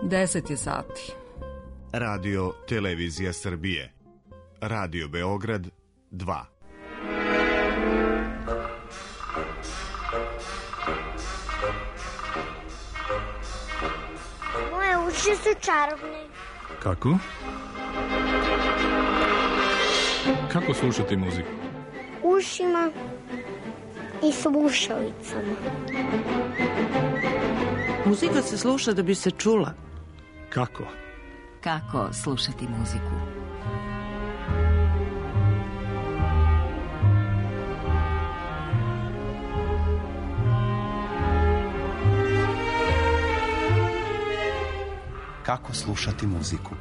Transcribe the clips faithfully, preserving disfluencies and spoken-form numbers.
deset je sati. Radio Televizija Srbije. Radio Beograd dva. Moje uši su čarobne. Kako? Kako slušati muziku? Ušima i slušalicama. Muzika se sluša da bi se čula. Kako? Kako slušati muziku? Kako slušati muziku?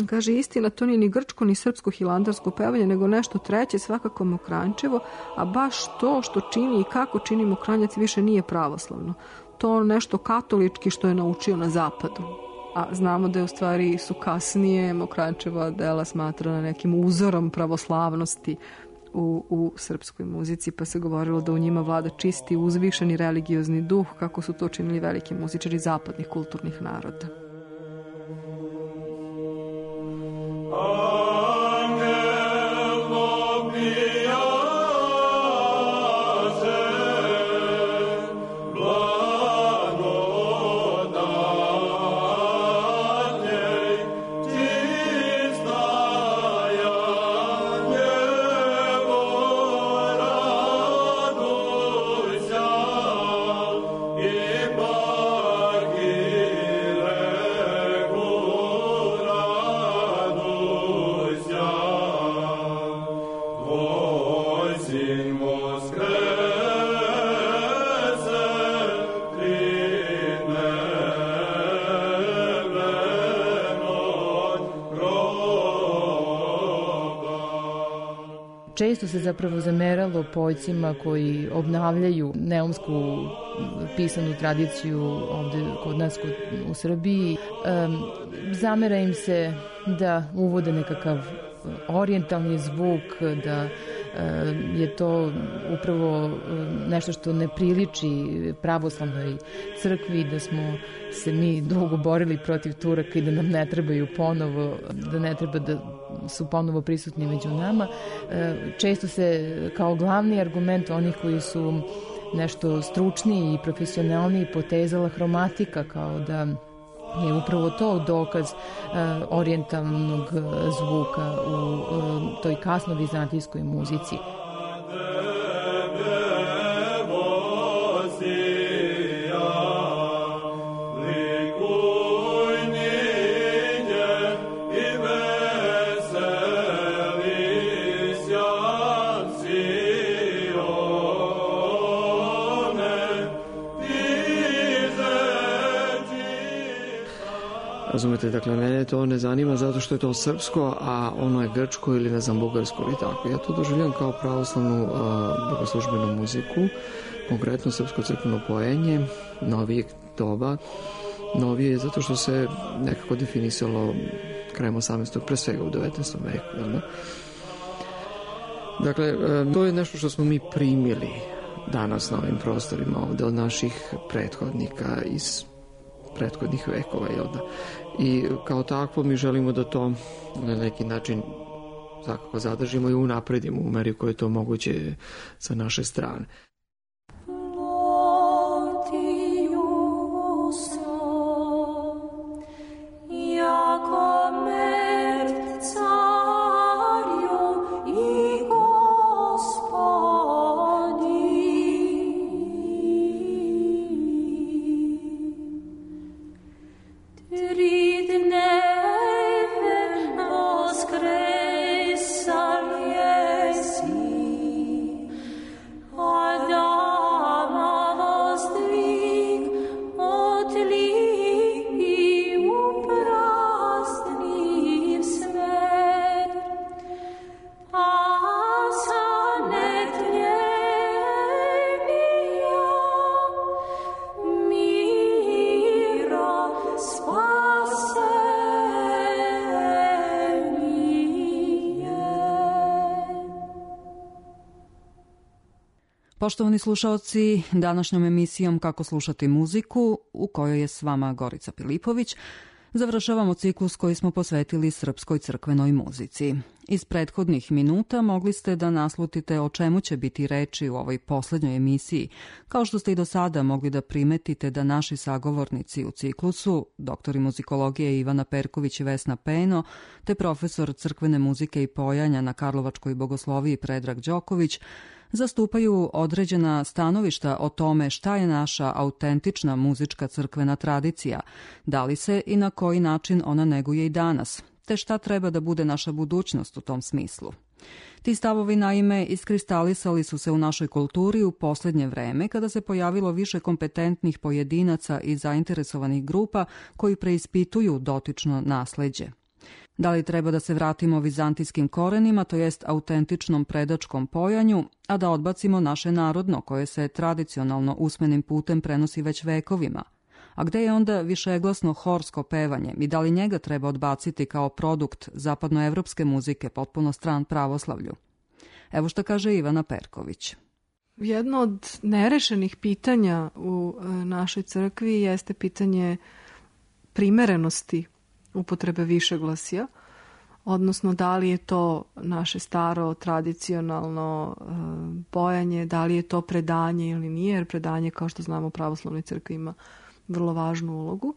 Kaže, istina, to nije ni grčko, ni srpsko hilandarsko pevanje, nego nešto treće, svakako Mokranjčevo, a baš to što čini i kako čini Mokranjac više nije pravoslavno. To nešto katolički što je naučio na zapadu. A znamo da je u stvari su kasnije Mokranjčeva dela smatrana nekim uzorom pravoslavnosti u, u srpskoj muzici, pa se govorilo da u njima vlada čisti, uzvišeni religiozni duh, kako su to činili veliki muzičari zapadnih kulturnih naroda. Često se zapravo zameralo poljcima koji obnavljaju neumsku pisanu tradiciju ovde kod nas u Srbiji. Zamera im se da uvode nekakav orijentalni zvuk, da je to upravo nešto što ne priliči pravoslavnoj crkvi, da smo se mi dugo borili protiv Turaka i da nam ne trebaju ponovo, da ne treba da su ponovo prisutni među nama. Često se kao glavni argument onih koji su nešto stručniji i profesionalniji potezala hromatika, kao da je upravo to dokaz uh, orijentalnog zvuka u uh, toj kasno-vizantijskoj muzici. Razumete, dakle, mene to ne zanima zato što je to srpsko, a ono je grčko ili, ne znam, bugarsko ili tako. Ja to doživljam kao pravoslavnu uh, bogoslužbenu muziku, konkretno srpsko crkveno pojenje, novijeg doba. Novije je zato što se nekako definisalo krajem osamnaestog pre svega u devetnaestom veku. Jel ne? Dakle, um, to je nešto što smo mi primili danas na ovim prostorima ovde od naših prethodnika iz prethodnih vekova, jel da? I kao takvo mi želimo da to na neki način svakako zadržimo i unapredimo u meri koje je to moguće sa naše strane. Poštovani slušaoci, današnjom emisijom Kako slušati muziku, u kojoj je s vama Gorica Pilipović, završavamo ciklus koji smo posvetili srpskoj crkvenoj muzici. Iz prethodnih minuta mogli ste da naslutite o čemu će biti reči u ovoj poslednjoj emisiji, kao što ste i do sada mogli da primetite da naši sagovornici u ciklusu, doktori muzikologije Ivana Perković i Vesna Peno, te profesor crkvene muzike i pojanja na Karlovačkoj bogosloviji Predrag Đoković, zastupaju određena stanovišta o tome šta je naša autentična muzička crkvena tradicija, da li se i na koji način ona neguje i danas, te šta treba da bude naša budućnost u tom smislu. Ti stavovi, naime, iskristalisali su se u našoj kulturi u poslednje vreme kada se pojavilo više kompetentnih pojedinaca i zainteresovanih grupa koji preispituju dotično nasleđe. Da li treba da se vratimo vizantijskim korenima, to jest autentičnom predačkom pojanju, a da odbacimo naše narodno koje se tradicionalno usmenim putem prenosi već vekovima? A gde je onda višeglasno horsko pevanje i da li njega treba odbaciti kao produkt zapadnoevropske muzike potpuno stran pravoslavlju? Evo što kaže Ivana Perković. Jedno od nerešenih pitanja u našoj crkvi jeste pitanje primerenosti upotrebe višeglasja, odnosno da li je to naše staro tradicionalno e, pojanje, da li je to predanje ili nije, jer predanje, kao što znamo, u pravoslavnoj crkvi ima vrlo važnu ulogu.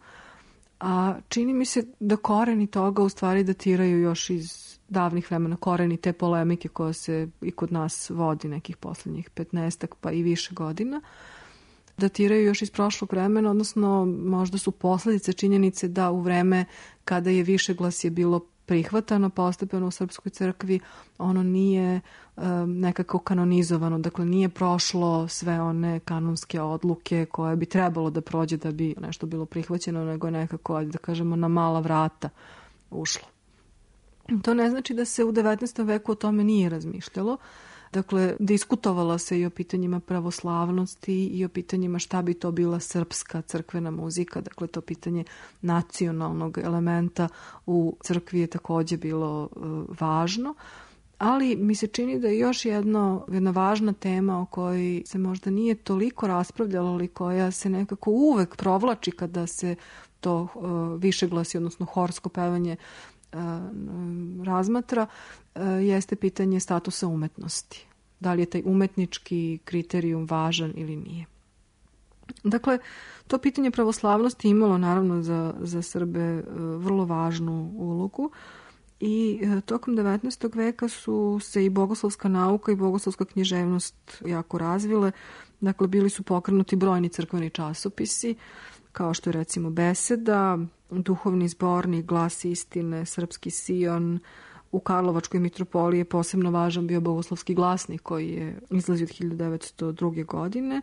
A čini mi se da koreni toga u stvari datiraju još iz davnih vremena, koreni te polemike koja se i kod nas vodi nekih poslednjih petnaestak pa i više godina, datiraju još iz prošlog vremena, odnosno možda su posledice činjenice da u vreme kada je višeglasje bilo prihvatano postepeno u Srpskoj crkvi, ono nije um, nekako kanonizovano, dakle nije prošlo sve one kanonske odluke koje bi trebalo da prođe da bi nešto bilo prihvaćeno, nego je nekako, da kažemo, na mala vrata ušlo. To ne znači da se u devetnaestom veku o tome nije razmišljalo. Dakle, diskutovala se i o pitanjima pravoslavnosti i o pitanjima šta bi to bila srpska crkvena muzika. Dakle, to pitanje nacionalnog elementa u crkvi je takođe bilo uh, važno. Ali mi se čini da je još jedno, jedna važna tema o kojoj se možda nije toliko raspravljalo, ali koja se nekako uvek provlači kada se to uh, višeglasi, odnosno horsko pevanje uh, razmatra, uh, jeste pitanje statusa umetnosti. Da li je taj umetnički kriterijum važan ili nije. Dakle, to pitanje pravoslavnosti imalo naravno za, za Srbe uh, vrlo važnu ulogu. I tokom devetnaestog veka su se i bogoslovska nauka i bogoslovska književnost jako razvile. Dakle, bili su pokrenuti brojni crkveni časopisi, kao što je recimo Beseda, Duhovni zbornik, Glas istine, Srpski Sion. U Karlovačkoj mitropoliji je posebno važan bio Bogoslovski glasnik koji je izlazio od hiljadu devetsto druge. godine.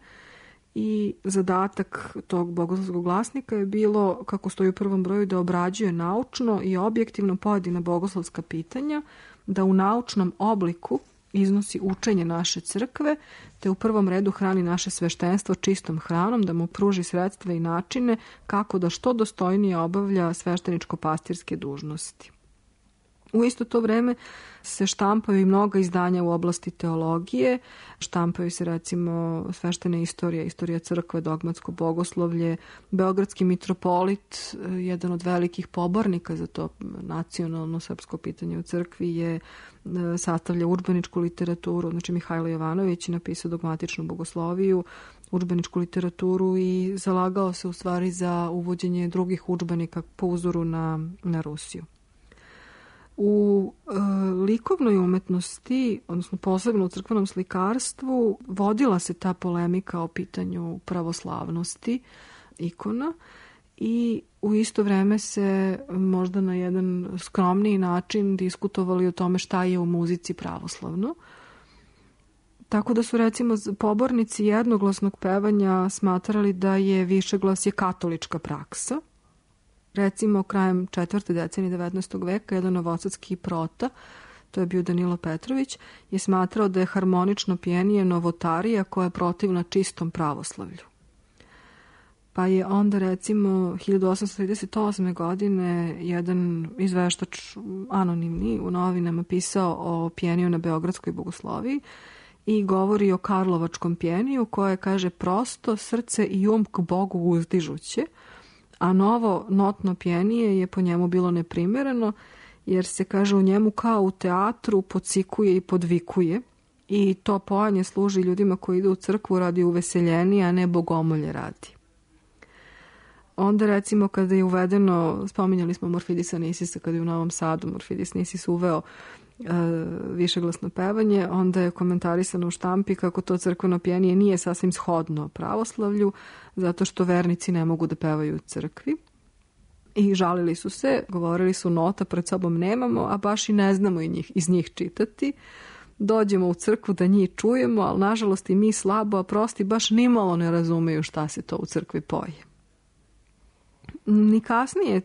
I zadatak tog bogoslovskog glasnika je bilo, kako stoji u prvom broju, da obrađuje naučno i objektivno pojedina bogoslovska pitanja, da u naučnom obliku iznosi učenje naše crkve, te u prvom redu hrani naše sveštenstvo čistom hranom, da mu pruži sredstva i načine kako da što dostojnije obavlja svešteničko-pastirske dužnosti. U isto to vreme se štampaju i mnoga izdanja u oblasti teologije. Štampaju se recimo sveštene istorije, istorija crkve, dogmatsko bogoslovlje. Beogradski mitropolit, jedan od velikih pobornika za to nacionalno srpsko pitanje u crkvi, je sastavlja udžbeničku literaturu. Znači Mihajlo Jovanović je napisao dogmatičnu bogosloviju, udžbeničku literaturu i zalagao se u stvari za uvođenje drugih udžbenika po uzoru na, na Rusiju. U e, likovnoj umetnosti, odnosno posebno u crkvenom slikarstvu, vodila se ta polemika o pitanju pravoslavnosti ikona i u isto vreme se možda na jedan skromniji način diskutovali o tome šta je u muzici pravoslavno. Tako da su recimo pobornici jednoglasnog pevanja smatrali da je višeglasje katolička praksa. Recimo, krajem četvrte decenije devetnaestog veka, jedan novosadski prota, to je bio Danilo Petrović, je smatrao da je harmonično pjenije novotarija koja je protivna čistom pravoslavlju. Pa je onda, recimo, hiljadu osamsto trideset osme. godine jedan izveštač anonimni u novinama pisao o pjeniju na Beogradskoj bogosloviji i govori o karlovačkom pjeniju koje kaže prosto srce i um k Bogu uzdižuće, a novo notno pjenije je po njemu bilo neprimereno, jer se, kaže, u njemu kao u teatru podsikuje i podvikuje i to pojanje služi ljudima koji idu u crkvu radi uveseljenija, a ne bogomolje radi. Onda, recimo, kada je uvedeno, spominjali smo Morfidisa Nisisa, kada je u Novom Sadu Morfidis Nisis uveo e, višeglasno pevanje, onda je komentarisano u štampi kako to crkveno pjenije nije sasvim shodno pravoslavlju, zato što vernici ne mogu da pevaju u crkvi. I žalili su se, govorili su nota pred sobom nemamo, a baš i ne znamo i njih, iz njih čitati. Dođemo u crkvu da njih čujemo, ali nažalost i mi slabo, a prosti baš nimalo ne razumeju šta se to u crkvi poje. Ni kasnije,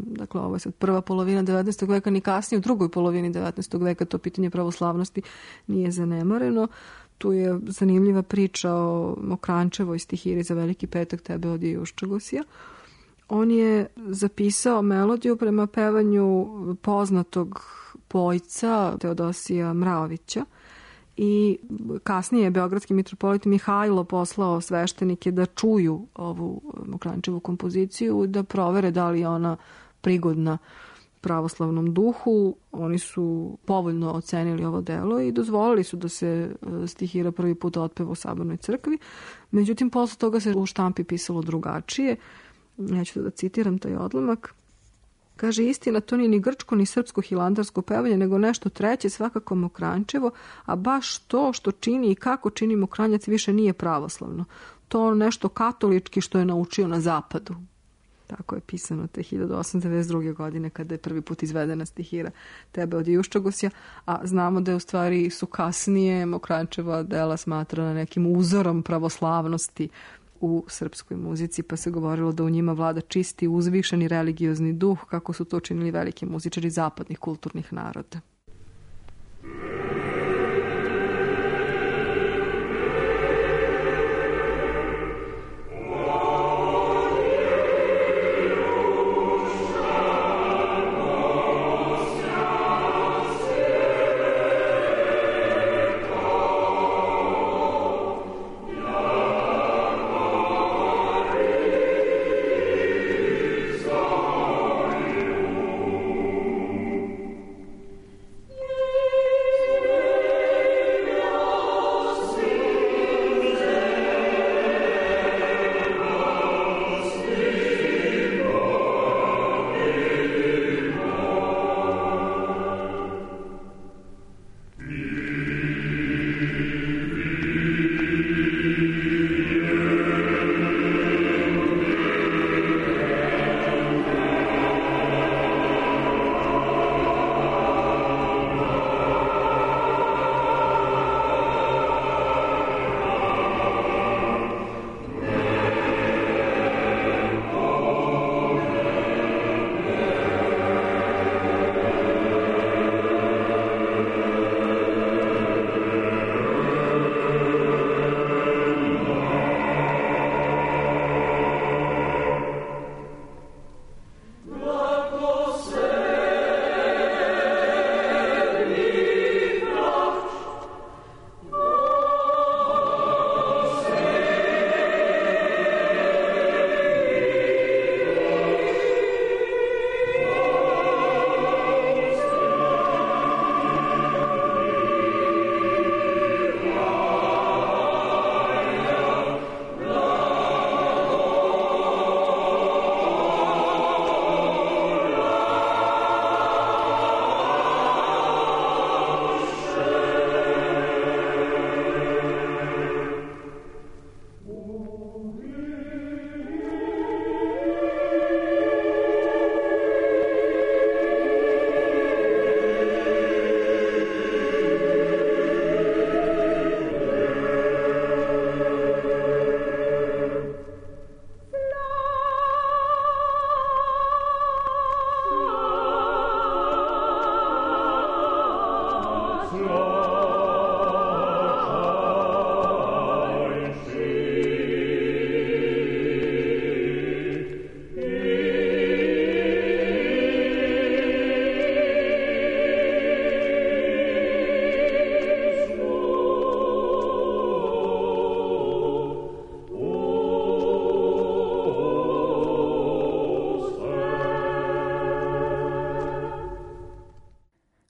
dakle ovo je sad prva polovina devetnaestog veka, ni kasnije u drugoj polovini devetnaestog veka to pitanje pravoslavnosti nije zanemareno. Tu je zanimljiva priča o Mokrančevoj stihiri za Veliki petak Tebe od Juščagosija. On je zapisao melodiju prema pevanju poznatog pojca Teodosija Mraovića i kasnije je beogradski mitropolit Mihajlo poslao sveštenike da čuju ovu Mokrančevu kompoziciju, da provere da li je ona prigodna pravoslavnom duhu. Oni su povoljno ocenili ovo delo i dozvolili su da se stihira prvi put otpeva u Sabornoj crkvi. Međutim, posle toga se u štampi pisalo drugačije. Neću da citiram taj odlomak. Kaže, istina, to nije ni grčko, ni srpsko hilandarsko pevanje, nego nešto treće, svakako Mokrančevo, a baš to što čini i kako čini Mokranjac više nije pravoslavno. To nešto katolički što je naučio na zapadu. Tako je pisano te hiljadu osamsto devedeset druge. godine kada je prvi put izvedena stihira Tebe od Juščagosija, a znamo da je u stvari su kasnije Mokrančeva dela smatrana nekim uzorom pravoslavnosti u srpskoj muzici, pa se govorilo da u njima vlada čisti, uzvišeni religiozni duh, kako su to činili veliki muzičari zapadnih kulturnih naroda.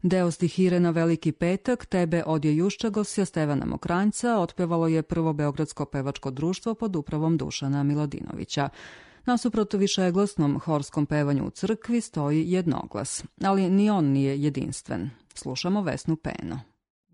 Deo stihire na Veliki petak, Tebe odje juščagosja Stevana Mokranjca otpevalo je Prvo beogradsko pevačko društvo pod upravom Dušana Miladinovića. Nasuprot višeglasnom horskom pevanju u crkvi stoji jednoglas, ali ni on nije jedinstven. Slušamo Vesnu Peno.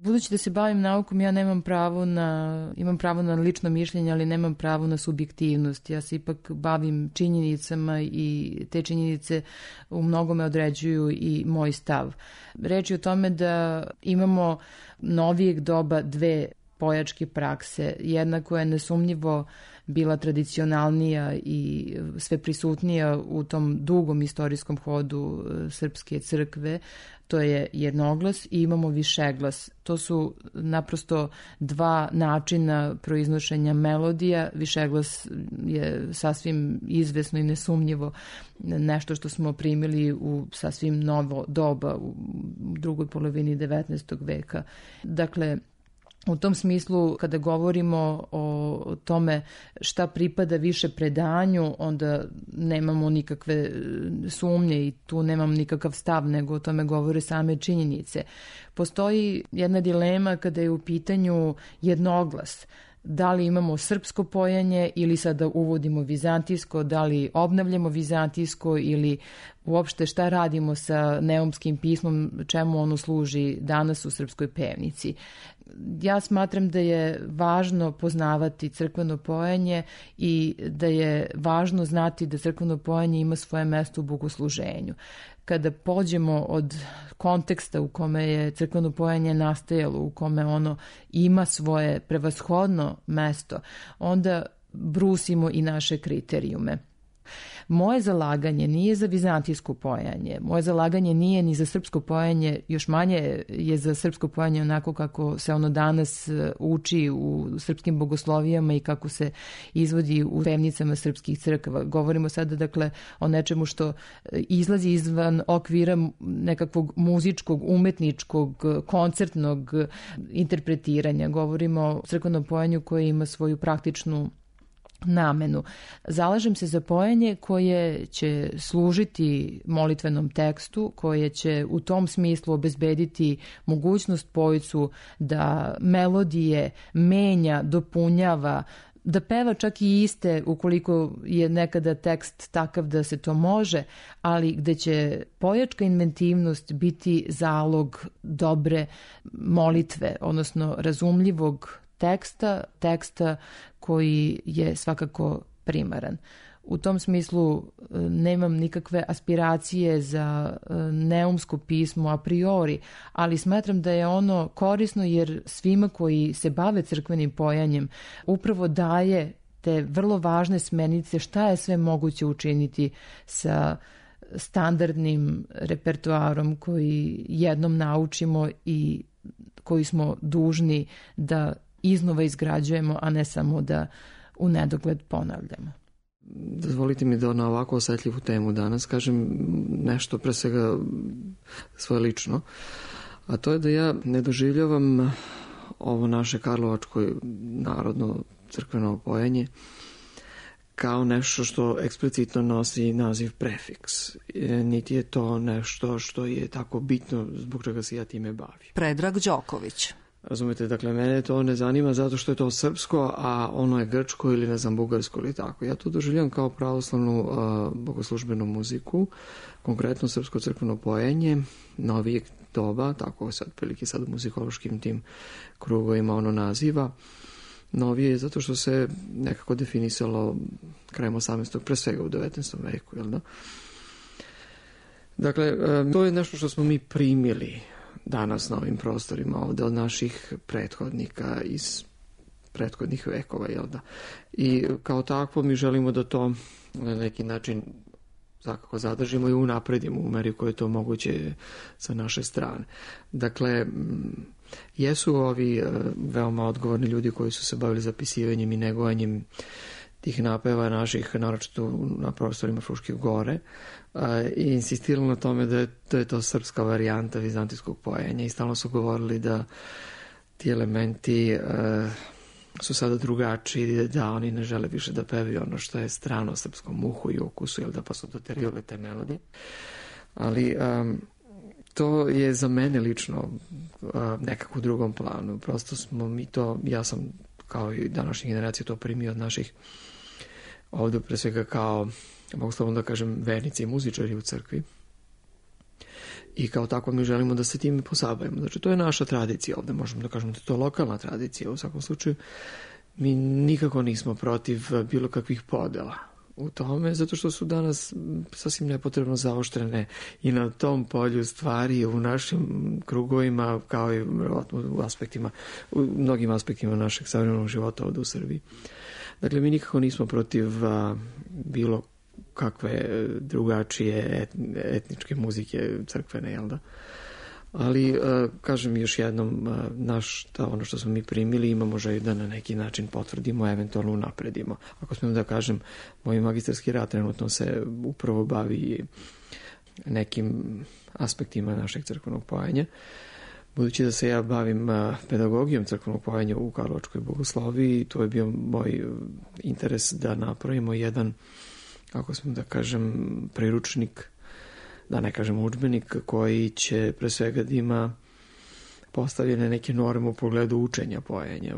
Budući da se bavim naukom, ja nemam pravo na, imam pravo na lično mišljenje, ali nemam pravo na subjektivnost. Ja se ipak bavim činjenicama i te činjenice u mnogome određuju i moj stav. Reč je o tome da imamo novijeg doba dve pojačke prakse. Jedna koja je nesumnjivo bila tradicionalnija i sve prisutnija u tom dugom istorijskom hodu srpske crkve, to je jednoglas i imamo višeglas. To su naprosto dva načina proiznošenja melodija. Višeglas je sasvim izvesno i nesumnjivo nešto što smo primili u sasvim novo doba u drugoj polovini devetnaestog veka. Dakle, u tom smislu, kada govorimo o tome šta pripada više predanju, onda nemamo nikakve sumnje i tu nemam nikakav stav, nego o tome govore same činjenice. Postoji jedna dilema kada je u pitanju jednoglas. Da li imamo srpsko pojanje ili sada uvodimo vizantijsko, da li obnavljamo vizantijsko ili uopšte šta radimo sa neumskim pismom, čemu ono služi danas u srpskoj pevnici. Ja smatram da je važno poznavati crkveno pojanje i da je važno znati da crkveno pojanje ima svoje mesto u bogosluženju. Kada pođemo od konteksta u kome je crkveno pojanje nastajalo, u kome ono ima svoje prevashodno mesto, onda brusimo i naše kriterijume. Moje zalaganje nije za vizantijsko pojanje, moje zalaganje nije ni za srpsko pojanje, još manje je za srpsko pojanje onako kako se ono danas uči u srpskim bogoslovijama i kako se izvodi u pevnicama srpskih crkava. Govorimo sada dakle o nečemu što izlazi izvan okvira nekakvog muzičkog, umetničkog, koncertnog interpretiranja. Govorimo o crkvenom pojanju koje ima svoju praktičnu namenu. Zalažem se za pojanje koje će služiti molitvenom tekstu, koje će u tom smislu obezbediti mogućnost pojcu da melodije menja, dopunjava, da peva čak i iste ukoliko je nekada tekst takav da se to može, ali gde će pojačka inventivnost biti zalog dobre molitve, odnosno razumljivog teksta, teksta koji je svakako primaran. U tom smislu nemam nikakve aspiracije za neumsko pismo a priori, ali smatram da je ono korisno jer svima koji se bave crkvenim pojanjem upravo daje te vrlo važne smernice šta je sve moguće učiniti sa standardnim repertoarom koji jednom naučimo i koji smo dužni da iznova izgrađujemo, a ne samo da u nedogled ponavljamo. Dozvolite mi da na ovako osetljivu temu danas kažem nešto pre svega svoje lično, a to je da ja ne doživljavam ovo naše karlovačko narodno crkveno pojanje kao nešto što eksplicitno nosi naziv prefiks. Niti je to nešto što je tako bitno zbog čega se ja time bavim. Predrag Đoković. Razumete, dakle, mene to ne zanima zato što je to srpsko, a ono je grčko ili ne znam, bugarsko ili tako. Ja to doživljam kao pravoslavnu uh, bogoslužbenu muziku, konkretno srpsko crkveno pojenje, novijeg doba, tako se otprilike sad u muzikološkim tim krugovima ono naziva. Novije je zato što se nekako definisalo krajem osamnaestog pre svega u devetnaestom veku, jel da? Dakle, um, to je nešto što smo mi primili danas na ovim prostorima ovde od naših prethodnika iz prethodnih vekova, jel da? I kao takvo mi želimo da to na neki način svakako zadržimo i unapredimo u meri koje je to moguće sa naše strane. Dakle, jesu ovi veoma odgovorni ljudi koji su se bavili zapisivanjem i negovanjem tih napeva naših, naročito na prostorima Fruške gore, i insistirali na tome da je, da je to srpska varijanta vizantijskog pojenja i stalno su govorili da ti elementi uh, su sada drugačiji, da oni ne žele više da pevaju ono što je strano srpskom uhu i ukusu, jel da, pa su doterivali te melodije. Ali um, to je za mene lično nekako u drugom planu. Prosto smo mi to, ja sam kao i današnje generacije to primio od naših ovdje pre svega kao, mogu slobodno da kažem, vernici i muzičari u crkvi. I kao tako mi želimo da se time posabavimo. Znači, to je naša tradicija ovdje, možemo da kažemo da je to lokalna tradicija. U svakom slučaju, mi nikako nismo protiv bilo kakvih podela u tome, zato što su danas sasvim nepotrebno zaoštrene i na tom polju stvari u našim krugovima, kao i u aspektima, u mnogim aspektima našeg savremenog života ovdje u Srbiji. Dakle, mi nikako nismo protiv a, bilo kakve drugačije etničke muzike crkvene, jel da? Ali, kažem još jednom, naš, ta, ono što smo mi primili, imamo želju da na neki način potvrdimo, eventualno unapredimo. Ako smijem da kažem, moj magistarski rad trenutno se upravo bavi nekim aspektima našeg crkvenog pojenja. Budući da se ja bavim pedagogijom crkvenog pojenja u Karlovačkoj bogosloviji, to je bio moj interes da napravimo jedan, ako smijem da kažem, priručnik, da ne kažem udžbenik, koji će pre svega da ima postavljene neke norme u pogledu učenja pojenja.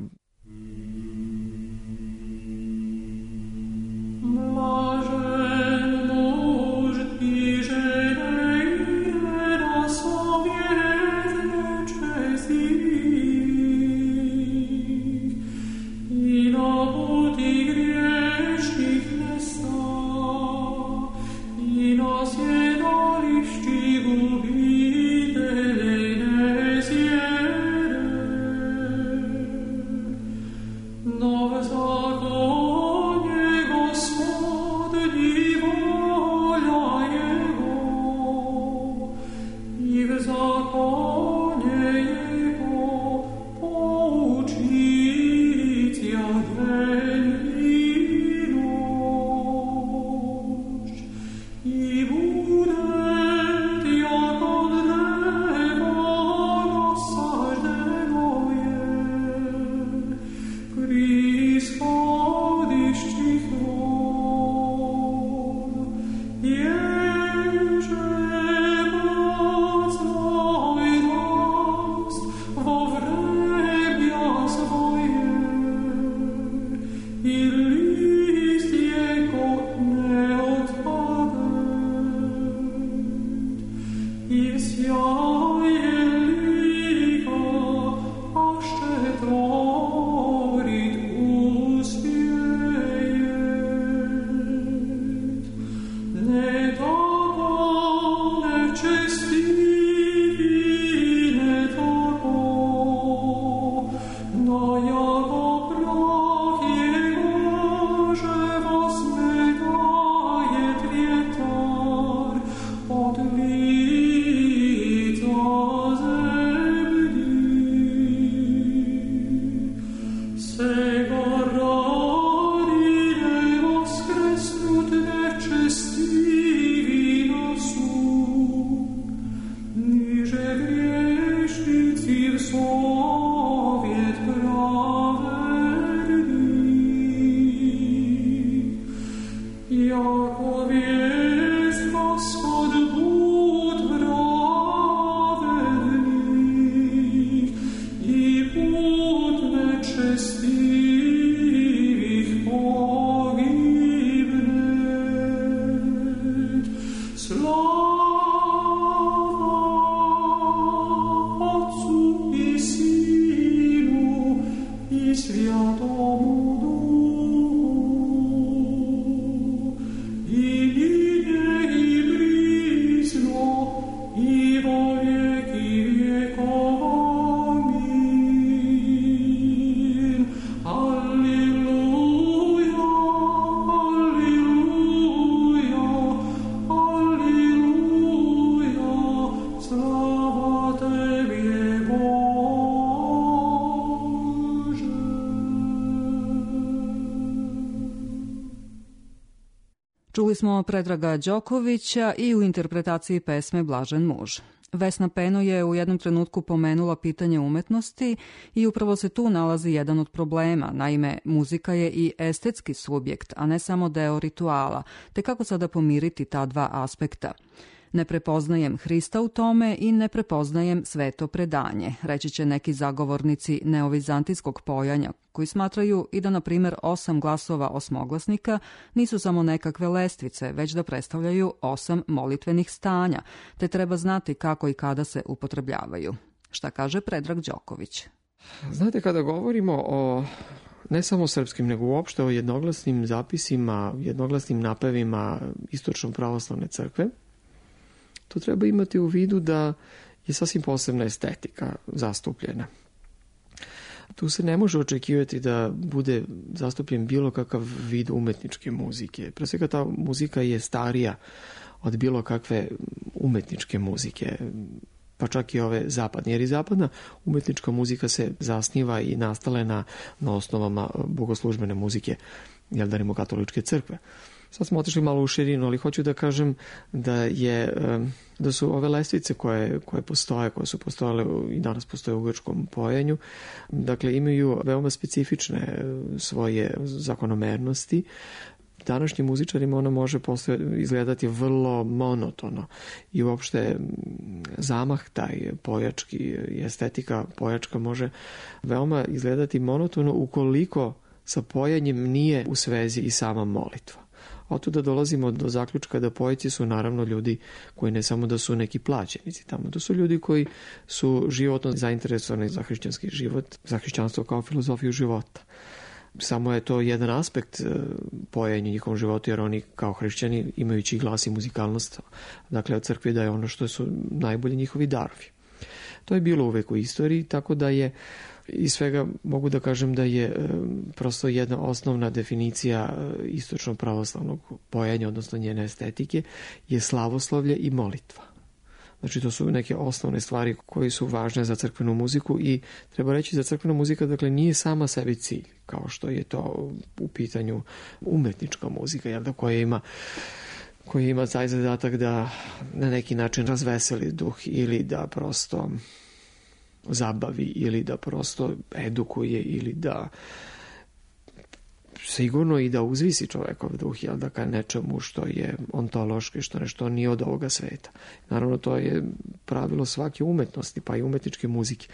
Čuli smo Predraga Đokovića i u interpretaciji pesme Blažen muž. Vesna Peno je u jednom trenutku pomenula pitanje umetnosti i upravo se tu nalazi jedan od problema. Naime, muzika je i estetski subjekt, a ne samo deo rituala, te kako sada pomiriti ta dva aspekta. Ne prepoznajem Hrista u tome i ne prepoznajem sveto predanje, reći će neki zagovornici neovizantijskog pojanja, koji smatraju i da, na primjer, osam glasova osmoglasnika nisu samo nekakve lestvice, već da predstavljaju osam molitvenih stanja, te treba znati kako i kada se upotrebljavaju. Šta kaže Predrag Đoković? Znate, kada govorimo o ne samo srpskim, nego uopšte o jednoglasnim zapisima, jednoglasnim napevima istočno pravoslavne crkve, to treba imati u vidu da je sasvim posebna estetika zastupljena. Tu se ne može očekivati da bude zastupljen bilo kakav vid umetničke muzike. Pre svega ta muzika je starija od bilo kakve umetničke muzike, pa čak i ove zapadne, jer i zapadna umetnička muzika se zasniva i nastala na, na osnovama bogoslužbene muzike, jel da rimokatoličke crkve. Sad smo otišli malo u širinu, ali hoću da kažem da je da su ove lestvice koje, koje postoje, koje su postojale i danas postoje u grčkom pojenju, dakle imaju veoma specifične svoje zakonomernosti. Današnjim muzičarima ona može posle izgledati vrlo monotono i uopšte zamah taj pojački i estetika pojačka može veoma izgledati monotono ukoliko sa pojanjem nije u svezi i sama molitva. Otuda dolazimo do zaključka da poeti su naravno ljudi koji ne samo da su neki plaćenici tamo, da su ljudi koji su životno zainteresovani za hrišćanski život, za hrišćanstvo kao filozofiju života. Samo je to jedan aspekt pojenja njihovom životu, jer oni kao hrišćani, imajući glas i muzikalnost, dakle od crkve daje ono što su najbolji njihovi darovi. To je bilo uvek u istoriji, tako da je iz svega mogu da kažem da je prosto jedna osnovna definicija istočno pravoslavnog pojenja, odnosno njene estetike, je slavoslavlje i molitva. Znači to su neke osnovne stvari koje su važne za crkvenu muziku i treba reći da crkvena muzika dakle nije sama sebi cilj, kao što je to u pitanju umetnička muzika, jel da, koja ima koja ima taj zadatak da na neki način razveseli duh ili da prosto zabavi ili da prosto edukuje ili da sigurno i da uzvisi čovekov duh, jel da, ka nečemu što je ontološki, što nešto nije od ovoga sveta. Naravno, to je pravilo svake umetnosti, pa i umetničke muzike.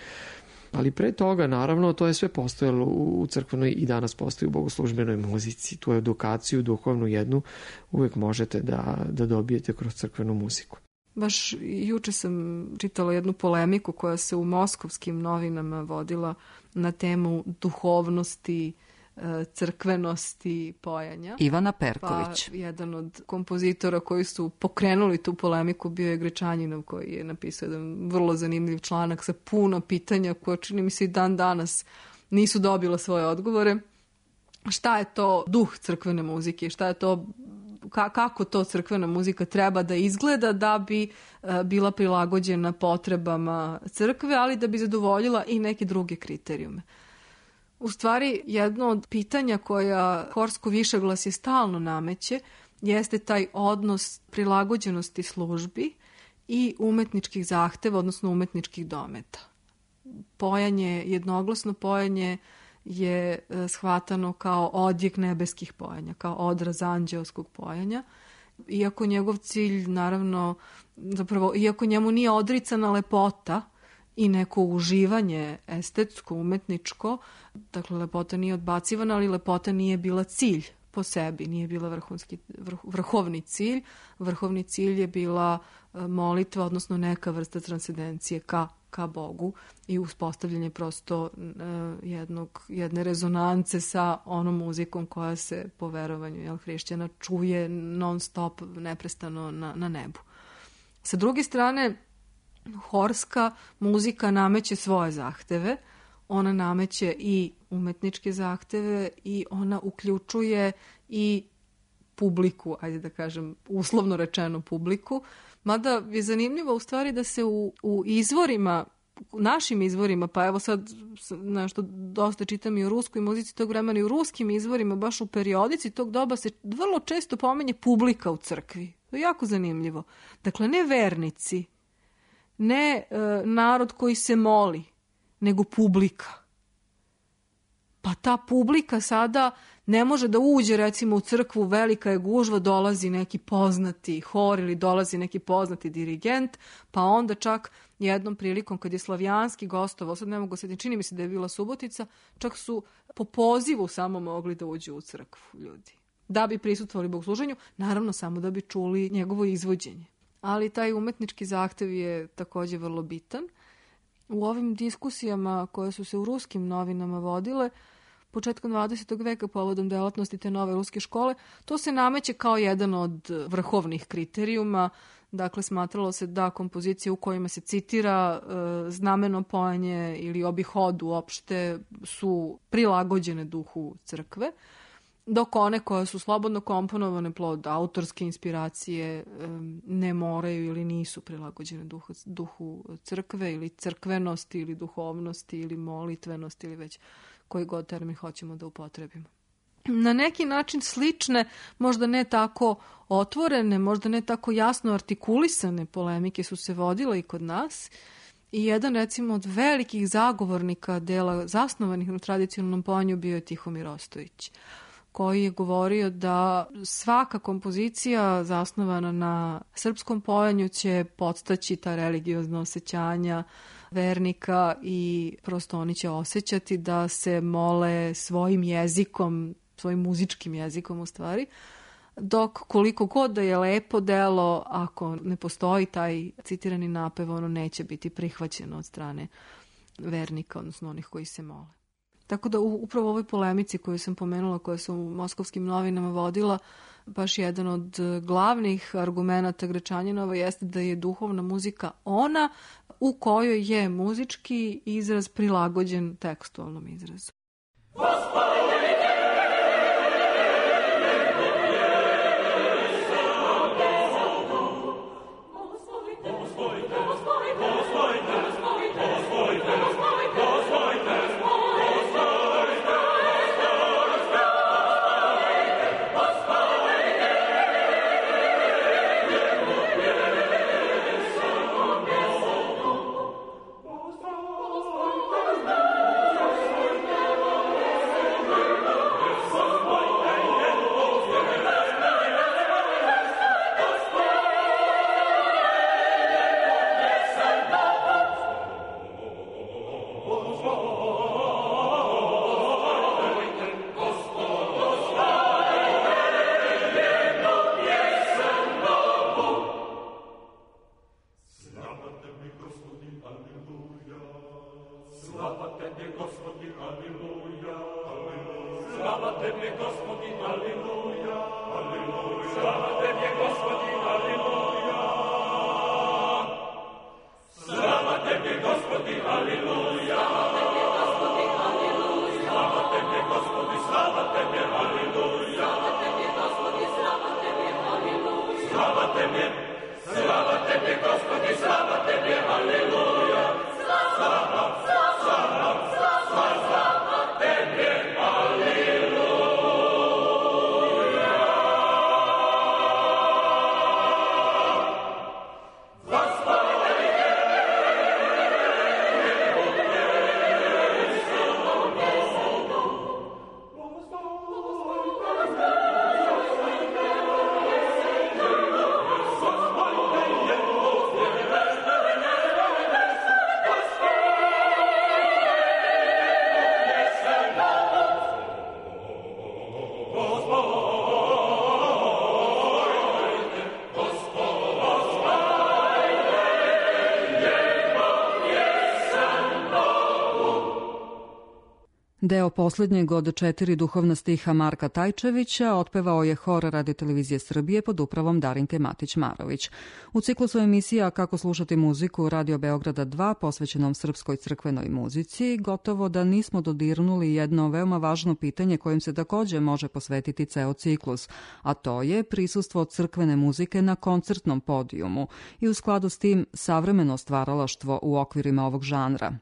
Ali pre toga, naravno, to je sve postojalo u crkvenoj i danas postoji u bogoslužbenoj muzici. Tu edukaciju, duhovnu jednu, uvek možete da, da dobijete kroz crkvenu muziku. Baš juče sam čitala jednu polemiku koja se u moskovskim novinama vodila na temu duhovnosti, crkvenosti pojanja. Ivana Perković. Pa jedan od kompozitora koji su pokrenuli tu polemiku bio je Grečanjinov, koji je napisao jedan vrlo zanimljiv članak sa puno pitanja koje čini mi se i dan danas nisu dobila svoje odgovore. Šta je to duh crkvene muzike? Šta je to, ka, kako to crkvena muzika treba da izgleda da bi uh, bila prilagođena potrebama crkve, ali da bi zadovoljila i neke druge kriterijume. U stvari, jedno od pitanja koja horsko višeglasje stalno nameće jeste taj odnos prilagođenosti službi i umetničkih zahteva, odnosno umetničkih dometa. Pojanje, jednoglasno pojanje je shvatano kao odjek nebeskih pojanja, kao odraz anđeoskog pojanja. Iako njegov cilj, naravno, zapravo, iako njemu nije odricana lepota i neko uživanje estetsko, umetničko, dakle, lepota nije odbacivana, ali lepota nije bila cilj po sebi, nije bila vrhunski, vrh, vrhovni cilj. Vrhovni cilj je bila molitva, odnosno neka vrsta transcendencije ka, ka Bogu i uspostavljanje prosto uh, jednog, jedne rezonance sa onom muzikom koja se po verovanju, jel, hrišćana čuje non stop, neprestano na, na nebu. Sa druge strane, horska muzika nameće svoje zahteve, ona nameće i umetničke zahteve i ona uključuje i publiku, ajde da kažem, uslovno rečeno publiku, mada je zanimljivo u stvari da se u, u izvorima, našim izvorima, pa evo sad nešto dosta čitam i o ruskoj muzici tog vremena i u ruskim izvorima, baš u periodici tog doba se vrlo često pominje publika u crkvi. To je jako zanimljivo. Dakle, ne vernici, ne e, narod koji se moli, nego publika. pa ta publika sada ne može da uđe recimo u crkvu, velika je gužva, dolazi neki poznati hor ili dolazi neki poznati dirigent, pa onda čak jednom prilikom kad je Slavijanski gostovao, sad ne mogu se, čini mi se da je bila Subotica, čak su po pozivu samo mogli da uđu u crkvu ljudi, da bi prisutvovali bogosluženju, naravno samo da bi čuli njegovo izvođenje. Ali taj umetnički zahtev je takođe vrlo bitan. U ovim diskusijama koje su se u ruskim novinama vodile, početkom dvadesetog veka povodom delatnosti te nove ruske škole, to se nameće kao jedan od vrhovnih kriterijuma. Dakle, smatralo se da kompozicije u kojima se citira e, znameno pojenje ili obihod uopšte su prilagođene duhu crkve, dok one koje su slobodno komponovane plod autorske inspiracije e, ne moraju ili nisu prilagođene duhu, duhu crkve ili crkvenosti ili duhovnosti ili molitvenosti ili već koji god termin hoćemo da upotrebimo. Na neki način slične, možda ne tako otvorene, možda ne tako jasno artikulisane polemike su se vodile i kod nas. I jedan, recimo, od velikih zagovornika dela zasnovanih na tradicionalnom pojanju bio je Tihomir Ostojić, koji je govorio da svaka kompozicija zasnovana na srpskom pojanju će podstaći ta religiozna osjećanja vernika i prosto oni će osjećati da se mole svojim jezikom, svojim muzičkim jezikom u stvari, dok koliko god da je lepo delo, ako ne postoji taj citirani napev, ono neće biti prihvaćeno od strane vernika, odnosno onih koji se mole. Tako da upravo u ovoj polemici koju sam pomenula, koja se u moskovskim novinama vodila, baš jedan od glavnih argumenata Grečanjinova jeste da je duhovna muzika ona u kojoj je muzički izraz prilagođen tekstualnom izrazu. Deo posljednjeg od četiri duhovna stiha Marka Tajčevića otpevao je hor Radio Televizije Srbije pod upravom Darinke Matić-Marović. U ciklusu emisija Kako slušati muziku Radio Beograda dva posvećenom srpskoj crkvenoj muzici, gotovo da nismo dodirnuli jedno veoma važno pitanje kojim se takođe može posvetiti ceo ciklus, a to je prisustvo crkvene muzike na koncertnom podijumu i u skladu s tim savremeno stvaralaštvo u okvirima ovog žanra.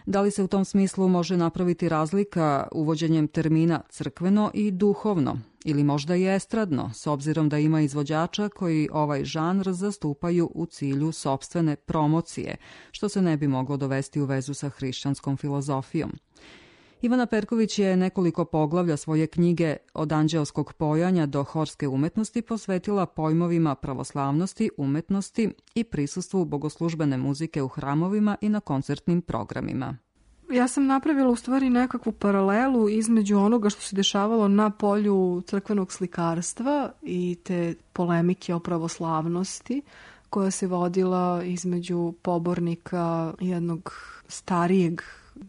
Da li se u tom smislu može napraviti razlika uvođenjem termina crkveno i duhovno, ili možda i estradno, s obzirom da ima izvođača koji ovaj žanr zastupaju u cilju sopstvene promocije, što se ne bi moglo dovesti u vezu sa hrišćanskom filozofijom? Ivana Perković je nekoliko poglavlja svoje knjige Od anđeoskog pojanja do horske umetnosti posvetila pojmovima pravoslavnosti, umetnosti i prisustvu bogoslužbene muzike u hramovima i na koncertnim programima. Ja sam napravila u stvari nekakvu paralelu između onoga što se dešavalo na polju crkvenog slikarstva i te polemike o pravoslavnosti koja se vodila između pobornika jednog starijeg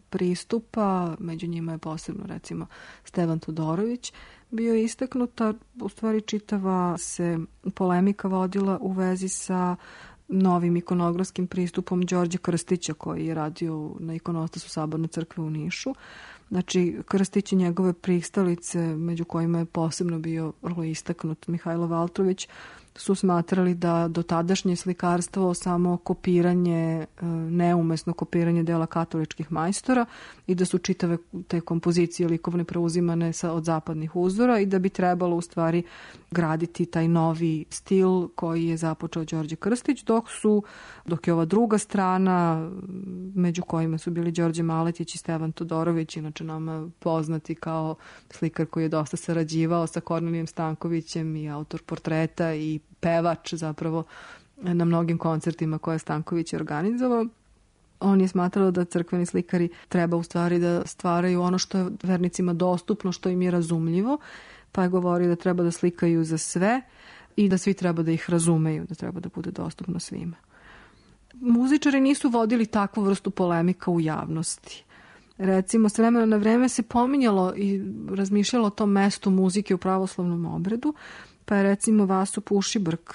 pristupa, među njima je posebno recimo Stevan Todorović bio istaknuta. U stvari čitava se polemika vodila u vezi sa novim ikonografskim pristupom Đorđa Krstića koji je radio na ikonostasu Saborne crkve u Nišu. Znači, Krstić i njegove pristalice, među kojima je posebno bio vrlo istaknut Mihajlo Valtrović, su smatrali da dotadašnje slikarstvo samo kopiranje, neumesno kopiranje dela katoličkih majstora i da su čitave te kompozicije likovne preuzimane sa, od zapadnih uzora i da bi trebalo u stvari graditi taj novi stil koji je započeo Đorđe Krstić, dok su, dok je ova druga strana, među kojima su bili Đorđe Maletić i Stevan Todorović, inače nama poznati kao slikar koji je dosta sarađivao sa Kornelijem Stankovićem i autor portreta i pevač zapravo na mnogim koncertima koje je Stanković organizovao. On je smatrao da crkveni slikari treba u stvari da stvaraju ono što je vernicima dostupno, što im je razumljivo, pa je govorio da treba da slikaju za sve i da svi treba da ih razumeju, da treba da bude dostupno svima. Muzičari nisu vodili takvu vrstu polemika u javnosti. Recimo, s vremena na vreme se pominjalo i razmišljalo o tom mestu muzike u pravoslavnom obredu, pa je recimo Vaso Pušibrk,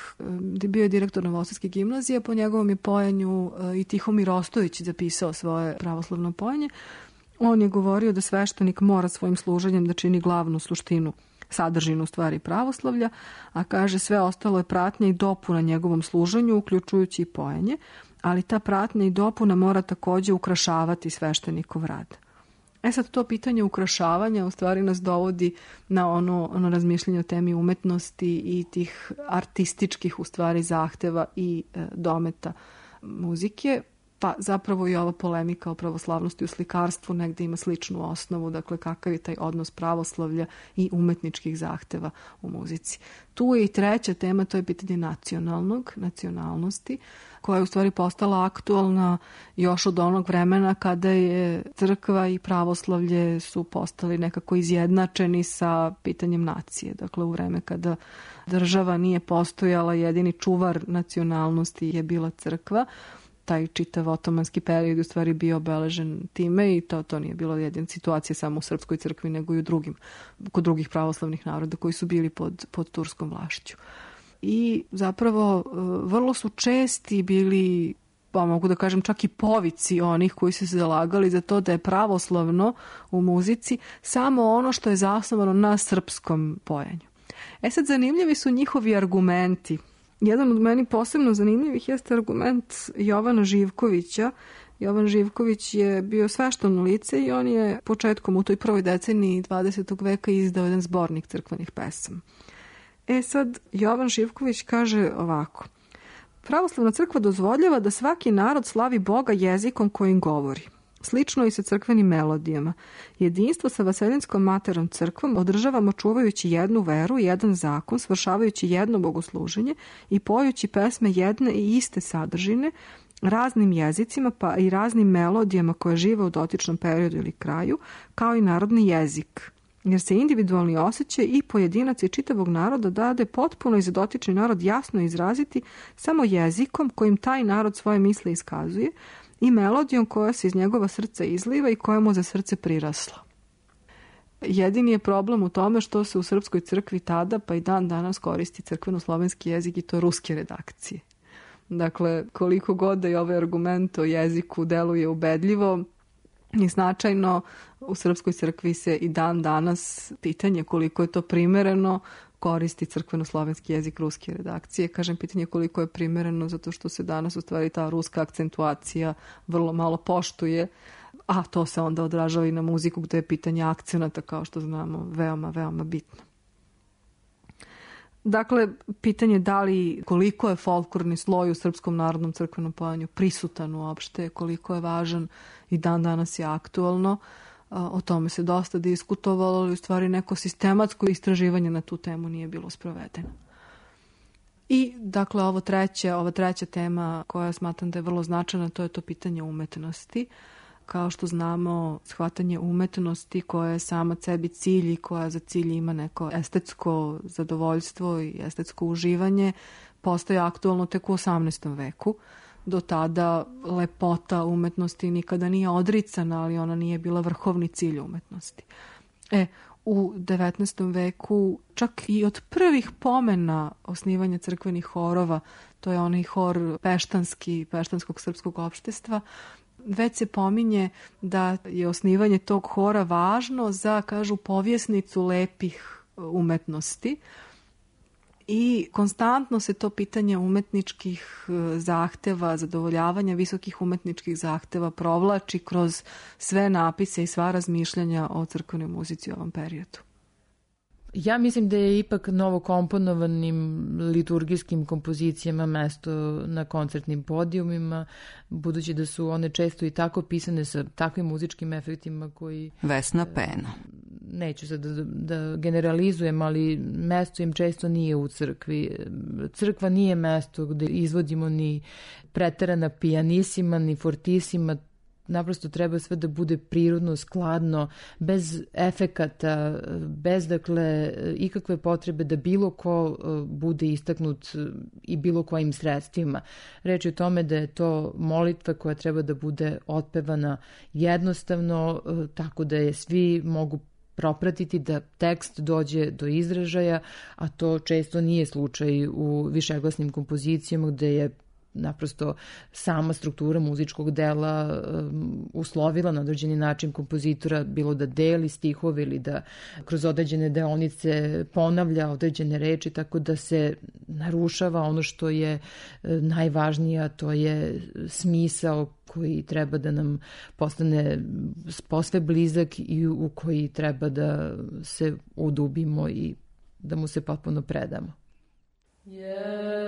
bio je direktor Novosadske gimnazije, po njegovom je pojanju i Tihomir Ostojić zapisao svoje pravoslavno pojanje. On je govorio da sveštenik mora svojim služenjem da čini glavnu suštinu, sadržinu stvari pravoslavlja, a kaže sve ostalo je pratnja i dopuna njegovom služenju, uključujući i pojanje, ali ta pratnja i dopuna mora takođe ukrašavati sveštenikov rad. E sad, to pitanje ukrašavanja u stvari nas dovodi na ono, ono razmišljanje o temi umetnosti i tih artističkih u stvari zahteva i e, dometa muzike, pa zapravo i ova polemika o pravoslavnosti u slikarstvu negde ima sličnu osnovu, dakle kakav je taj odnos pravoslavlja i umetničkih zahteva u muzici. Tu je i treća tema, to je pitanje nacionalnog, nacionalnosti, koja je u stvari postala aktualna još od onog vremena kada je crkva i pravoslavlje su postali nekako izjednačeni sa pitanjem nacije. Dakle, u vreme kada država nije postojala, jedini čuvar nacionalnosti je bila crkva. Taj čitav otomanski period u stvari bio obeležen time i to, to nije bilo jedina situacija samo u srpskoj crkvi, nego i u drugim, kod drugih pravoslavnih naroda koji su bili pod, pod turskom vlašću. I zapravo vrlo su česti bili, pa mogu da kažem čak i povici onih koji su se zalagali za to da je pravoslavno u muzici samo ono što je zasnovano na srpskom pojanju. E sad, zanimljivi su njihovi argumenti. Jedan od meni posebno zanimljivih jeste argument Jovana Živkovića. Jovan Živković je bio svešteno lice i on je početkom u toj prvoj deceniji dvadesetog veka izdao jedan zbornik crkvenih pesama. E sad, Jovan Živković kaže ovako: pravoslavna crkva dozvoljava da svaki narod slavi Boga jezikom kojim govori. Slično i sa crkvenim melodijama. Jedinstvo sa Vaselinskom materom crkvom održavamo čuvajući jednu veru, jedan zakon, svršavajući jedno bogosluženje i pojući pesme jedne i iste sadržine, raznim jezicima pa i raznim melodijama koje žive u dotičnom periodu ili kraju, kao i narodni jezik. Jer se individualni osjećaj i pojedinac i čitavog naroda dade potpuno i za dotični narod jasno izraziti samo jezikom kojim taj narod svoje misle iskazuje i melodijom koja se iz njegova srca izliva i koja mu za srce prirasla. Jedini je problem u tome što se u srpskoj crkvi tada pa i dan danas koristi crkveno-slovenski jezik i to ruske redakcije. Dakle, koliko god da je ovaj argument o jeziku deluje ubedljivo i značajno, u srpskoj crkvi se i dan danas pitanje koliko je to primereno koristi crkveno-slovenski jezik ruske redakcije. Kažem pitanje koliko je primereno zato što se danas u stvari ta ruska akcentuacija vrlo malo poštuje, a to se onda odražava i na muziku gde je pitanje akcenata, kao što znamo, veoma, veoma bitno. Dakle, pitanje da li koliko je folklorni sloj u srpskom narodnom crkvenom pojanju prisutan uopšte, koliko je važan i dan danas je aktualno. O tome se dosta diskutovalo, ali u stvari neko sistematsko istraživanje na tu temu nije bilo sprovedeno. I dakle ovo treće, ova treća tema koja smatram da je vrlo značajna, to je to pitanje umetnosti. Kao što znamo, shvatanje umetnosti koja je sama sebi cilj i koja za cilj ima neko estetsko zadovoljstvo i estetsko uživanje, postaje aktualno tek u osamnaestom veku. Do tada lepota umetnosti nikada nije odricana, ali ona nije bila vrhovni cilj umetnosti. E, u devetnaestom veku, čak i od prvih pomena osnivanja crkvenih horova, to je onaj hor peštanski, peštanskog srpskog opštestva, već se pominje da je osnivanje tog hora važno za, kažu, povjesnicu lepih umetnosti. I konstantno se to pitanje umetničkih zahteva, zadovoljavanja visokih umetničkih zahteva provlači kroz sve napise i sva razmišljanja o crkvenoj muzici u ovom periodu. Ja mislim da je ipak novokomponovanim liturgijskim kompozicijama mesto na koncertnim podijumima, budući da su one često i tako pisane sa takvim muzičkim efektima koji... Vesna Peno. Neću sad da, da generalizujem, ali mesto im često nije u crkvi. Crkva nije mesto gde izvodimo ni preterana pijanisima, ni fortisima. Naprosto treba sve da bude prirodno, skladno, bez efekata, bez dakle ikakve potrebe da bilo ko bude istaknut i bilo kojim sredstvima. Reč je o tome da je to molitva koja treba da bude otpevana jednostavno, tako da je svi mogu propratiti, da tekst dođe do izražaja, a to često nije slučaj u višeglasnim kompozicijama gde je naprosto sama struktura muzičkog dela um, uslovila na određeni način kompozitora, bilo da deli stihove ili da kroz određene deonice ponavlja određene reči, tako da se narušava ono što je uh, najvažnije, a to je smisao koji treba da nam postane posve blizak i u koji treba da se udubimo i da mu se potpuno predamo. Yeah.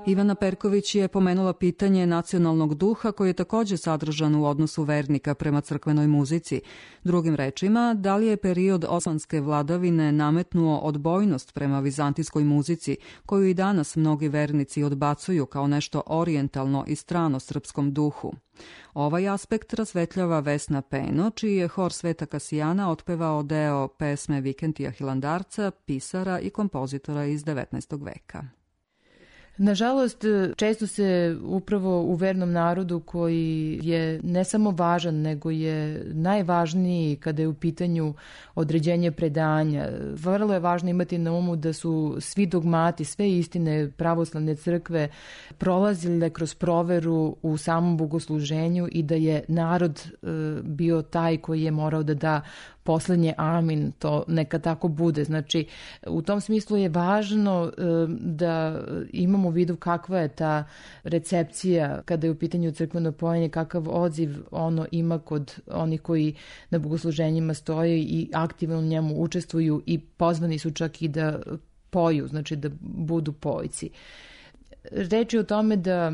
Ivana Perković je pomenula pitanje nacionalnog duha koji je također sadržan u odnosu vernika prema crkvenoj muzici. Drugim rečima, da li je period osmanske vladavine nametnuo odbojnost prema vizantijskoj muzici, koju i danas mnogi vernici odbacuju kao nešto orijentalno i strano srpskom duhu? Ovaj aspekt rasvetljava Vesna Peno, čiji je hor Sveta Kasijana otpevao deo pesme Vikentija Hilandarca, pisara i kompozitora iz devetnaestog veka. Nažalost, često se upravo u vernom narodu koji je ne samo važan, nego je najvažniji kada je u pitanju određenje predanja. Vrlo je važno imati na umu da su svi dogmati, sve istine pravoslavne crkve prolazile kroz proveru u samom bogosluženju i da je narod bio taj koji je morao da da poslednje amin, to neka tako bude. Znači, u tom smislu je važno da imamo imamo u vidu kakva je ta recepcija kada je u pitanju crkveno pojenje, kakav odziv ono ima kod onih koji na bogosluženjima stoje i aktivno u njemu učestvuju i pozvani su čak i da poju, znači da budu pojci. Reč je o tome da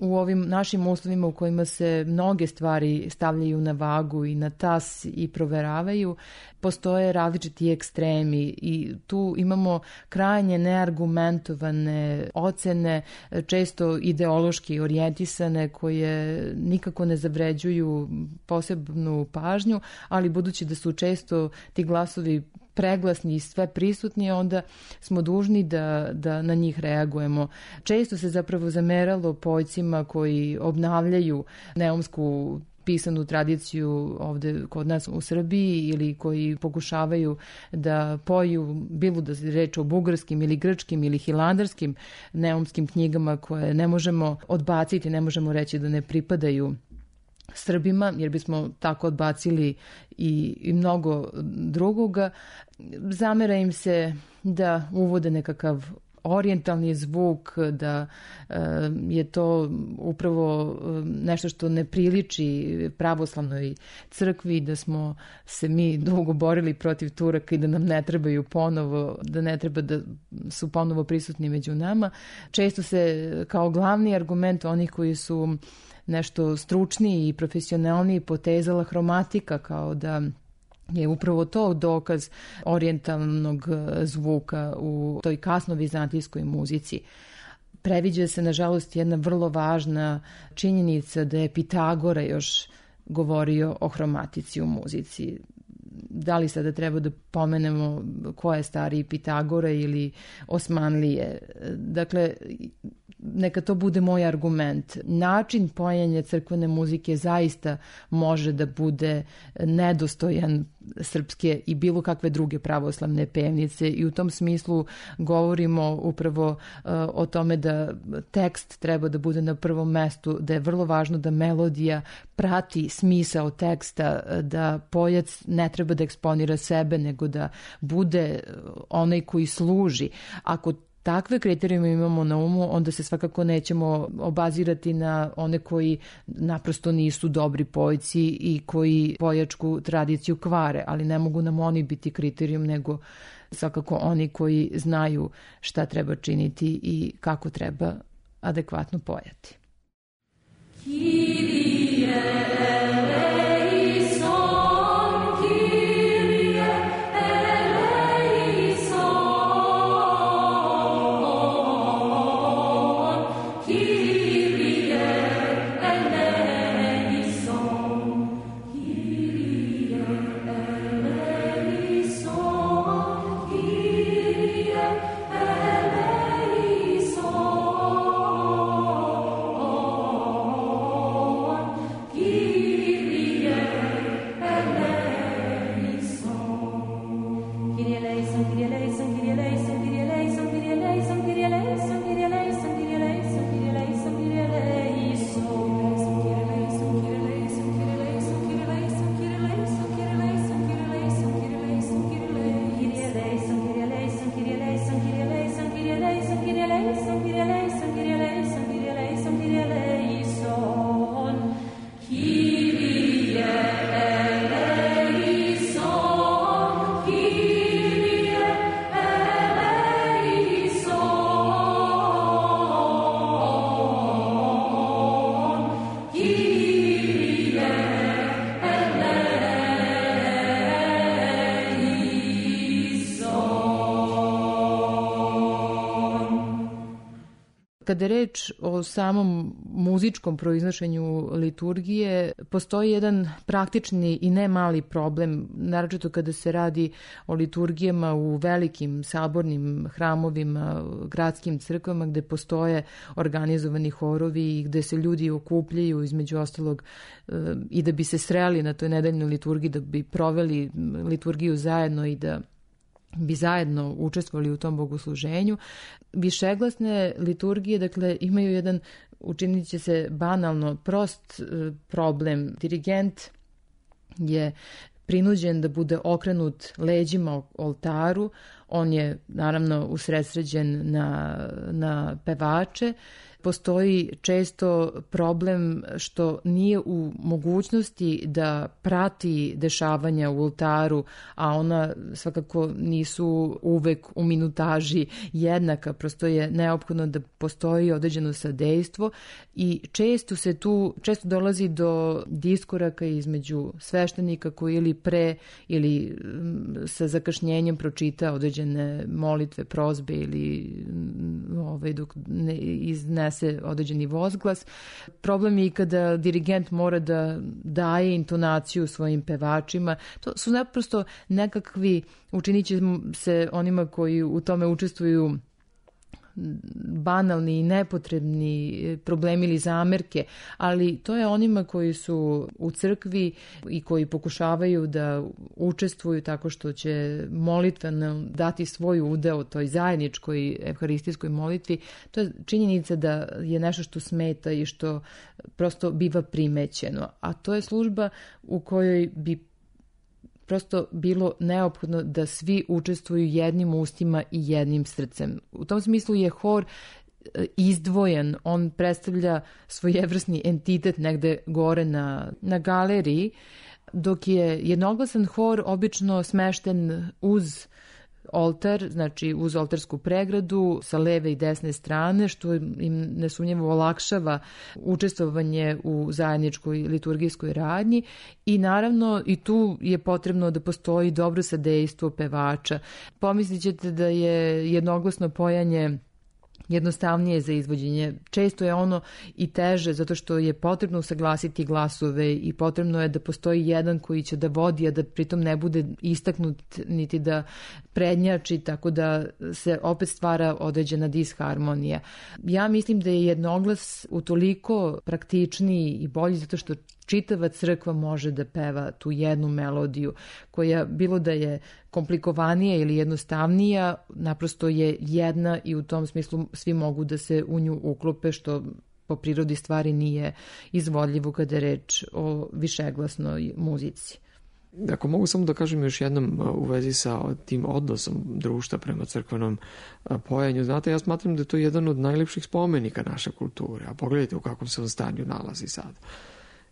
u ovim našim uslovima u kojima se mnoge stvari stavljaju na vagu i na tas i proveravaju, postoje različiti ekstremi i tu imamo krajnje neargumentovane ocene, često ideološki orijentisane, koje nikako ne zavređuju posebnu pažnju, ali budući da su često ti glasovi preglasni i sve prisutni, onda smo dužni da, da na njih reagujemo. Često se zapravo zameralo pojcima koji obnavljaju neumsku pisanu tradiciju ovde kod nas u Srbiji ili koji pokušavaju da poju, bilo da se reč o bugarskim ili grčkim ili hilandarskim neumskim knjigama koje ne možemo odbaciti, ne možemo reći da ne pripadaju Srbima, jer bismo tako odbacili i, i mnogo drugoga. Zamera im se da uvode nekakav orijentalni zvuk, da e, je to upravo nešto što ne priliči pravoslavnoj crkvi, da smo se mi dugo borili protiv Turaka i da nam ne trebaju ponovo, da ne treba da su ponovo prisutni među nama. Često se kao glavni argument onih koji su nešto stručniji i profesionalniji potezala hromatika, kao da je upravo to dokaz orijentalnog zvuka u toj kasno-vizantijskoj muzici. Previđa se, nažalost, jedna vrlo važna činjenica da je Pitagora još govorio o hromatici u muzici. Da li sada treba da pomenemo ko je stariji, Pitagora ili Osmanlije? Dakle, neka to bude moj argument. Način pojenja crkvene muzike zaista može da bude nedostojan srpske i bilo kakve druge pravoslavne pevnice i u tom smislu govorimo upravo uh, o tome da tekst treba da bude na prvom mestu, da je vrlo važno da melodija prati smisao teksta, da pojac ne treba da eksponira sebe, nego da bude onaj koji služi. Ako takve kriterijume imamo na umu, onda se svakako nećemo obazirati na one koji naprosto nisu dobri pojci i koji pojačku tradiciju kvare, ali ne mogu nam oni biti kriterijum, nego svakako oni koji znaju šta treba činiti i kako treba adekvatno pojati. Kyrie Kada je reč o samom muzičkom proiznošenju liturgije, postoji jedan praktični i ne mali problem, naročito kada se radi o liturgijama u velikim sabornim hramovima, gradskim crkvama gde postoje organizovani horovi i gde se ljudi okupljaju između ostalog i da bi se sreli na toj nedeljnoj liturgiji, da bi proveli liturgiju zajedno i da bi zajedno učestvovali u tom bogosluženju. Višeglasne liturgije, dakle, imaju jedan, učinit će se banalno, prost problem. Dirigent je prinuđen da bude okrenut leđima oltaru, On je naravno usredsređen na, na pevače. Postoji često problem što nije u mogućnosti da prati dešavanja u oltaru, a ona svakako nisu uvek u minutaži jednaka, prosto je neophodno da postoji određeno sadejstvo i često se tu, često dolazi do diskoraka između sveštenika koji ili pre ili sa zakašnjenjem pročita određene molitve, prozbe ili ovaj, dok ne iznese se određeni vozglas. Problem je i kada dirigent mora da daje intonaciju svojim pevačima. To su naprosto nekakvi, učinit će se onima koji u tome učestvuju, banalni i nepotrebni problemi ili zamerke, ali to je onima koji su u crkvi i koji pokušavaju da učestvuju tako što će molitveno dati svoj udeo toj zajedničkoj evharistijskoj molitvi. To je činjenica da je nešto što smeta i što prosto biva primećeno, a to je služba u kojoj bi prosto bilo neophodno da svi učestvuju jednim ustima i jednim srcem. U tom smislu je hor izdvojen, on predstavlja svojevrsni entitet negde gore na, na galeriji, dok je jednoglasan hor obično smešten uz oltar, znači uz oltarsku pregradu sa leve i desne strane, što im nesumnjivo olakšava učestvovanje u zajedničkoj liturgijskoj radnji i naravno i tu je potrebno da postoji dobro sadejstvo pevača. Pomislit ćete da je jednoglasno pojanje jednostavnije za izvođenje. Često je ono i teže zato što je potrebno usaglasiti glasove i potrebno je da postoji jedan koji će da vodi, a da pritom ne bude istaknut niti da prednjači, tako da se opet stvara određena disharmonija. Ja mislim da je jednoglas utoliko praktičniji i bolji zato što čitava crkva može da peva tu jednu melodiju koja, bilo da je komplikovanija ili jednostavnija, naprosto je jedna i u tom smislu svi mogu da se u nju uklope, što po prirodi stvari nije izvodljivo kada je reč o višeglasnoj muzici. Ako mogu samo da kažem još jednom u vezi sa tim odnosom društva prema crkvenom pojanju, znate, ja smatram da je to jedan od najlepših spomenika naše kulture, a pogledajte u kakvom se on stanju nalazi sad.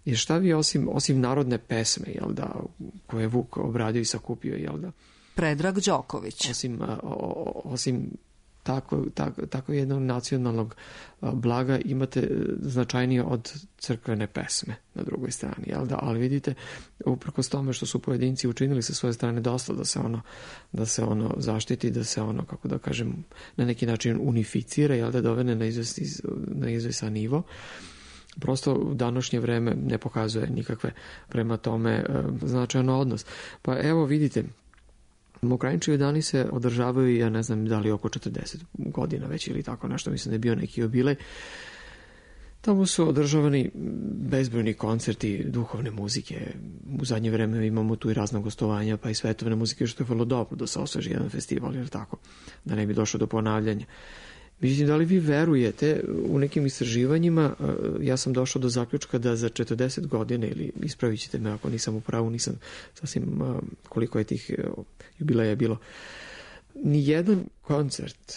I šta vi osim, osim narodne pesme, jel da, koje je Vuk obradio i sakupio, jel da? Predrag Đoković. Osim, o, osim tako, tako, tako jednog nacionalnog blaga imate značajnije od crkvene pesme na drugoj strani, jel da? Ali vidite, uprkos tome što su pojedinci učinili sa svoje strane dosta da se ono, da se ono zaštiti, da se ono, kako da kažem, na neki način unificira, jel da, dovene na izvesni, na izvesan nivo. Prosto u današnje vreme ne pokazuje nikakve prema tome značajan odnos. Pa evo vidite, Mokranjčevi dani se održavaju, ja ne znam da li oko četrdeset godina već ili tako nešto, mislim da je bio neki jubilej. Tamo su održavani bezbrojni koncerti duhovne muzike. U zadnje vreme imamo tu i razna gostovanja, pa i svetovne muzike, što je vrlo dobro da se osveži jedan festival, jer tako, da ne bi došlo do ponavljanja. Međutim, da li vi verujete, u nekim istraživanjima ja sam došao do zaključka da za četrdeset godina, ili ispravit ćete me ako nisam u pravu, nisam sasvim koliko je tih jubileja bilo, nijedan koncert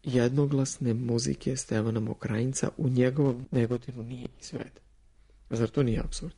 jednoglasne muzike Stevana Mokranjca u njegovom Negotinu nije izveden. Zar to nije apsurd?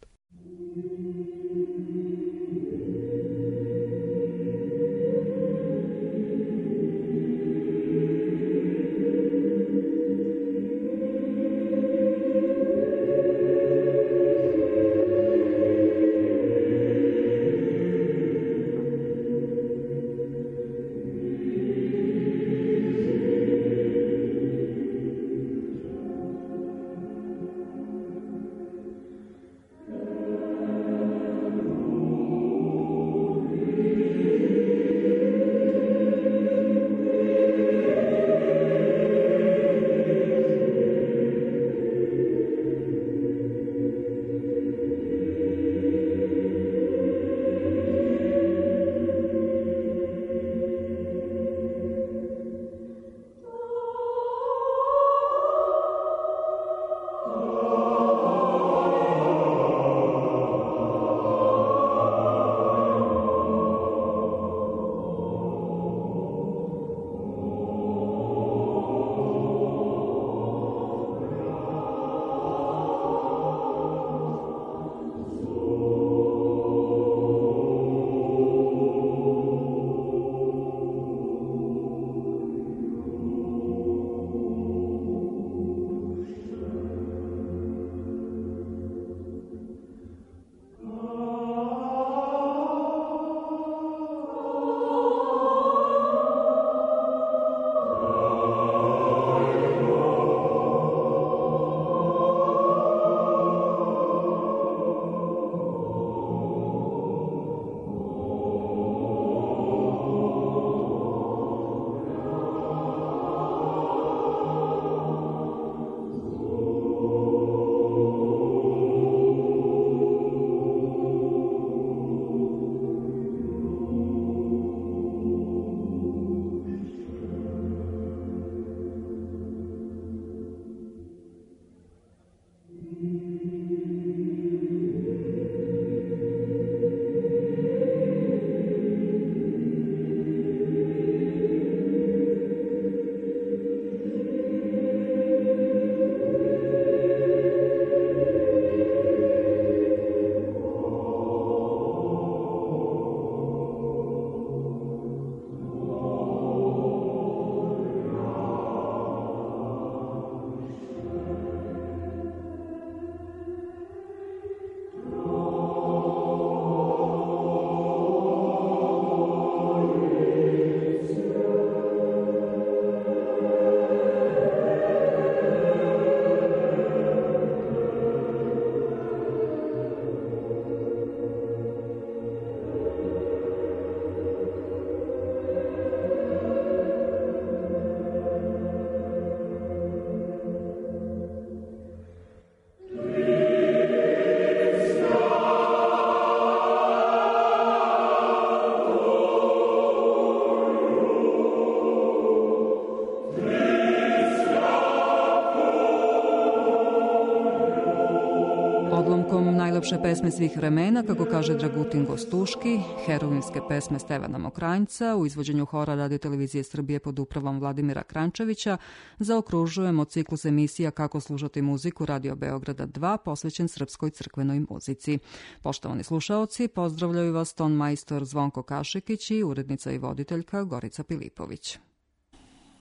najlepše pesme svih vremena, kako kaže Dragutin Gostuški, heroinske pesme Stevana Mokranjca u izvođenju hora Radio Televizije Srbije pod upravom Vladimira Krančevića, zaokružujemo ciklus emisija Kako slušati muziku Radio Beograda dva, posvećen srpskoj crkvenoj muzici. Poštovani slušaoci, pozdravljaju vas ton majstor Zvonko Kašekić i urednica i voditeljka Gorica Pilipović.